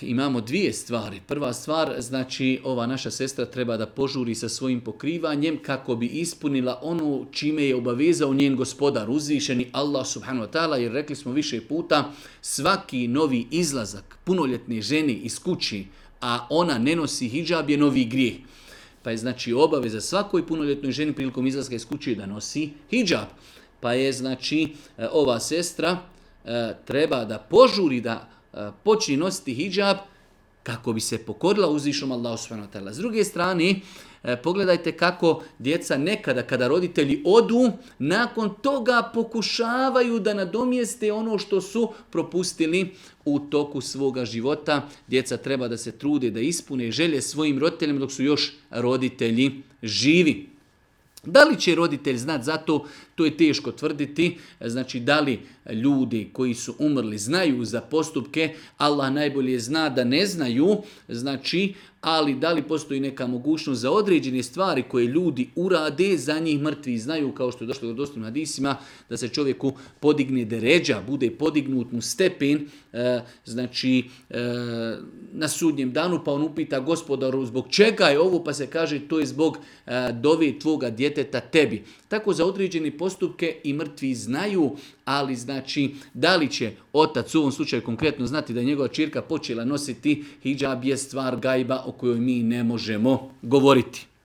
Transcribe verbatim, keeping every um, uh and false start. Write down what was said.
imamo dvije stvari. Prva stvar, znači ova naša sestra treba da požuri sa svojim pokrivanjem kako bi ispunila ono čime je obavezao njen gospodar, uzvišeni Allah subhanahu wa ta'ala, jer rekli smo više puta, svaki novi izlazak punoljetne žene iz kući, a ona ne nosi hidžab, je novi grijeh. Pa je znači obaveza svakoj punoljetnoj ženi prilikom izlaska iz kuće da nosi hidžab. Pa je znači ova sestra treba da požuri da počne nositi hidžab kako bi se pokorila uzvišenom Allahu subhanahu wa ta'ala. S druge strane, pogledajte kako djeca nekada kada roditelji odu, nakon toga pokušavaju da nadomjeste ono što su propustili u toku svoga života. Djeca treba da se trude da ispune želje svojim roditeljima dok su još roditelji živi. Da li će roditelj znati za to, to je teško tvrditi. Znači, da li ljudi koji su umrli znaju za postupke, Allah najbolje zna da ne znaju, znači, ali da li postoji neka mogućnost za određene stvari koje ljudi urade, za njih mrtvi znaju, kao što je došlo u dostupnim hadisima, da se čovjeku podigne deređa, bude podignut mu stepen, e, znači e, na sudnjem danu, pa on upita gospodaru zbog čega je ovo, pa se kaže to je zbog e, dove tvoga djeteta tebi. Tako za određene postupke i mrtvi znaju, ali znači da li će otac u ovom slučaju konkretno znati da je njegova ćerka počela nositi hidžab je stvar gajba o kojoj mi ne možemo govoriti.